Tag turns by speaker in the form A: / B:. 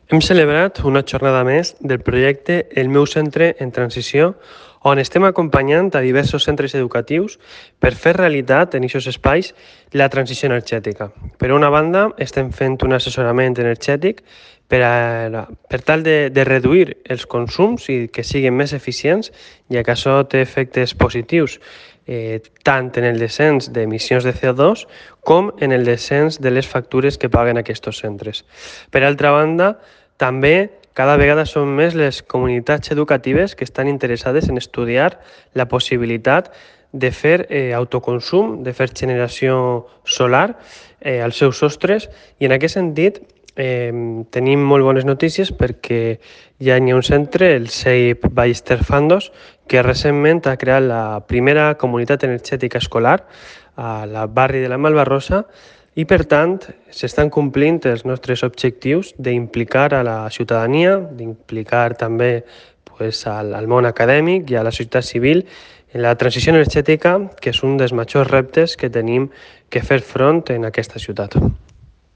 A: Hem celebrat una jornada més del projecte El meu centre en transició, on estem acompanyant a diversos centres educatius per fer realitat en aquests espais la transició energètica. Per una banda, estem fent un assessorament energètic per tal de reduir els consums i que siguin més eficients, ja que això té efectes positius tant en el descens d'emissions de CO2 com en el descens de les factures que paguen aquests centres. Per altra banda, també cada vegada són més les comunitats educatives que estan interessades en estudiar la possibilitat de fer autoconsum, de fer generació solar als seus sostres, i en aquest sentit tenim molt bones notícies perquè ja hi ha un centre, el CEIP Ballester Fandos, que recentment ha creat la primera comunitat energètica escolar al barri de la Malvarrosa, i per tant s'estan complint els nostres objectius d'implicar a la ciutadania, d'implicar també al món acadèmic i a la societat civil en la transició energètica, que és un dels majors reptes que tenim que fer front en aquesta ciutat.